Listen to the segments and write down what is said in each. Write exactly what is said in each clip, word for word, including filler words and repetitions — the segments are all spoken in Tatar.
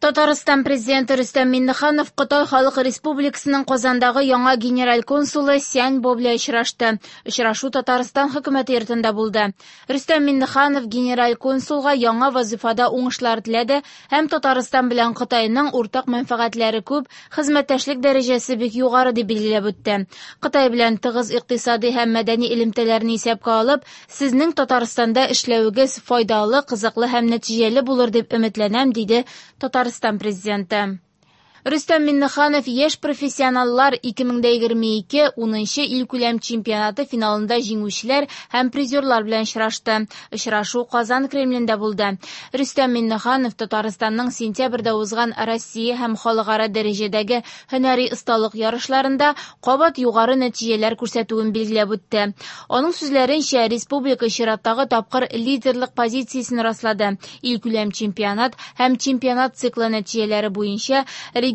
Татарстан президенты Рөстәм Миңнеханов Кытай Халык Республикасының Казандагы яңа генераль консулы Сянь Бо белән очрашты. Очрашу Татарстан хөкүмәте йортында булды. Рөстәм Миңнеханов генераль консулга яңа вазифада уңышлар теләде һәм Татарстан белән Кытайның уртак мәнфәгатьләре күп, хезмәттәшлек дәрәҗәсе бик югары дип билгеләп үтте. Кытай белән тыгыз икътисади һәм мәдәни элемтәләрне исәпкә алып, сезнең Татарстанда эшләвегез файдалы, кызыклы һәм нәтиҗәле булыр дип өметләнәм, диде Татарстан президенты. Рөстәм Миңнеханов яшь профессионаллар ике мең дә егерме ике унынчы илкүләм чемпионаты финалында җиңүчеләр һәм призерлар белән очрашты. Очрашу Казан Кремлендә булды. Рөстәм Миңнеханов Татарстанның сентябрьдә узган Россия һәм халыкара дәрәҗәдәге һөнәри осталык ярышларында кабат югары нәтиҗәләр күрсәтүен билгеләп үтте. Аның сүзләренчә, республика чираттагы тапкыр лидерлык позициясен раслады. Илкүләм чемпионат һәм чемпионат циклы нәтиҗәләре буенча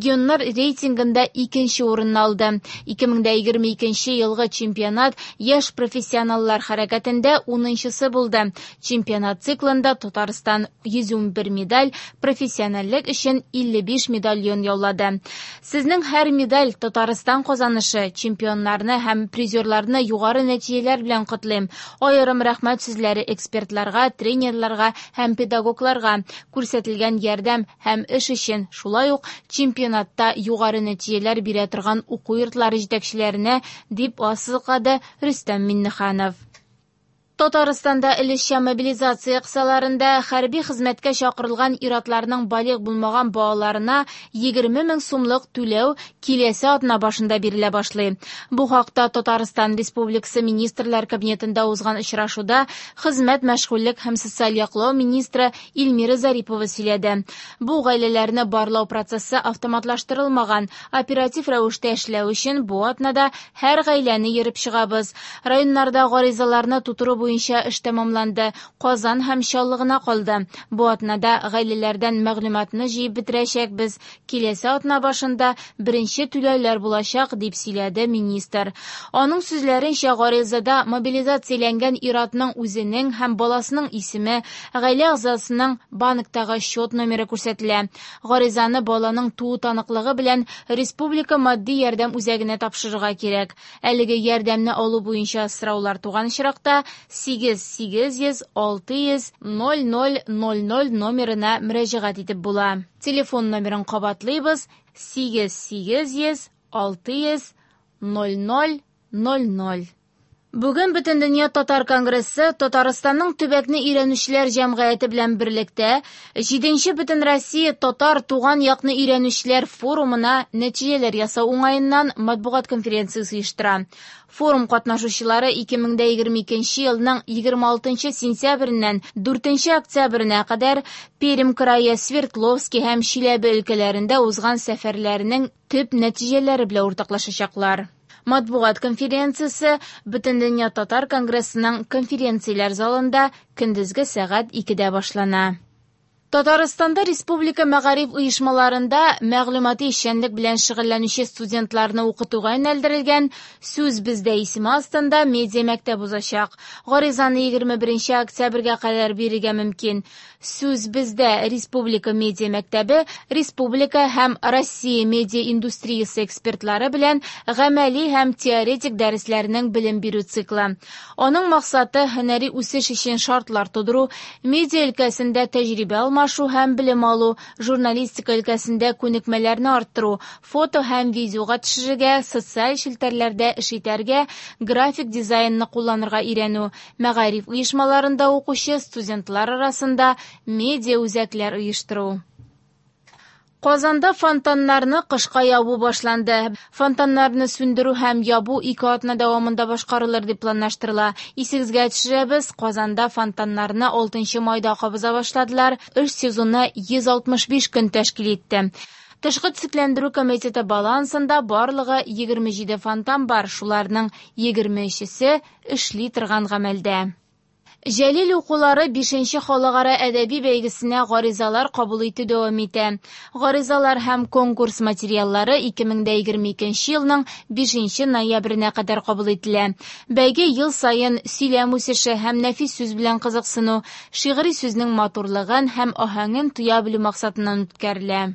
регионнар рейтингында икенче урынны алды. Ике мең дә егерме икенче елгы чемпионат яшь профессионаллар хәрәкәтендә унынчысы булды. Чемпионат циклында Татарстан йөз ун бер медаль, профессиональлек өчен илле биш медальон яулады. Сезнең һәр медаль Татарстан казанышы, чемпионнарны һәм призерларны югары нәтиҗәләр белән котлыйм. Аерым рәхмәт сүзләре экспертларга, тренерларга һәм педагогларга күрсәтелгән ярдәм һәм эш өчен, шулай ук чемпионатта югары нәтиҗәләр бирә торган уку йортлары җитәкчеләренә, дип ассызыклады Рөстәм Миңнеханов. Татарстанда өлешчә мобилизация кысаларында хәрби хезмәткә чакырылган ир-атларның балигъ булмаган балаларына егерме мең сумлык түләү киләсе атна башында бирелә башлый. Бу хакта Татарстан Республикасы Министрлар Кабинетында узган очрашуда хезмәт, мәшгульлек һәм социаль яклау министры Эльмира Зарипова сөйләде. Бу гаиләләрне барлау процессы автоматлаштырылмаган. Оператив рәвештә эшләү өчен бу атнада һәр гаиләне йөреп чыгабыз. Районнарда гаризаларны тутыру буенча эш тәмамланды. Казан һәм Чаллы гына калды. Бу атнада гаиләләрдән мәгълүматны җыеп бетерәчәкбез. Киләсе атна башында беренче түләүләр булачак, дип сөйләде министр. Аның сүзләренчә, гаризада мобилизацияләнгән ир-атның үзенең һәм баласының исеме, гаилә әгъзасының банктагы счет номеры күрсәтелә. Гаризаны баланың туу таныклыгы белән республика матди ярдәм үзәгенә тапшырырга кирәк. Әлеге ярдәмне алу буенча сораулар туган очракта сигез сигез йөз алты йөз ноль ноль ноль ноль номерына мөрәҗәгать итеп була. Телефон номерын кабатлыйбыз: сигез сигез йөз алты йөз ноль ноль ноль ноль. Бүген Бөтендөнья Татар конгрессы Татарстанның төбәкне өйрәнүчеләр җәмгыяте белән берлектә җиденче Бөтенроссия Татар туган якны өйрәнүчеләр форумына нәтиҗәләр ясау уңаеннан матбугат конференциясе оештыра. Форум катнашучылары ике мең дә егерме икенче елның егерме алтынчы сентябреннән дүртенче октябренә кадәр Пермь крае, Свердловский һәм Чиләбе өлкәләрендә узган сәфәрләренең төп нәтиҗәләре белән уртаклашачаклар. Матбугат конференциясе Бөтендөнья Татар конгрессының конференцияләр залында көндезге сәгать икедә башлана. Татарстанда республика мәгариф оешмаларында мәгълүмати эшчәнлек белән шөгыльләнүче студентларны укытуга юнәлдерелгән Сүз бездә исеме астында медиа мәктәп узачак. Гаризаны егерме беренче октябрьгә кадәр бирергә мөмкин. Сүз бездә республика медиа мәктәбе республика һәм Россия медиа индустриясе экспертлары белән гамәли һәм теоретик дәресләрнең белем бирү циклы. Аның максаты һөнәри үсеш өчен шартлар тудыру, медиа өлкәсендә тәҗрибә алмашу һәм белем алу, журналистика өлкәсендә күнекмәләрне арттыру, фото һәм видеога төшерергә, социаль челтәрләрдә эш итәргә, график дизайнны кулланырга өйрәнү, мәгариф оешмаларында укучы студентлар арасында медиа үзәкләр оештыру. Казанда фонтаннарны кышка ябу башланды. Фонтаннарны сүндерү һәм ябу ике атна дәвамында башкарылыр дип планлаштырыла. Исегезгә төшерәбез, Казанда фонтаннарны алтынчы майда кабыза башладылар. Эш сезоны йөз алтмыш биш көн тәшкил итте. Тышкы төзекләндерү комитеты балансында барлыгы егерме җиде фонтан бар, шуларның егерме өчесе эшли торган гамәлдә. Җәлил укулары бишенче халыкара әдәби бәйгесенә гаризалар кабул итү дәвам итә. Гаризалар һәм конкурс материаллары ике мең дә егерме икенче елның бишенче ноябренә кадәр кабул ителә. Бәйге ел саен сөйләм үсеше һәм нәфис сүз белән кызыксыну, шигъри сүзнең матурлыгын һәм аһәңен тоя белү максатыннан үткәрелә.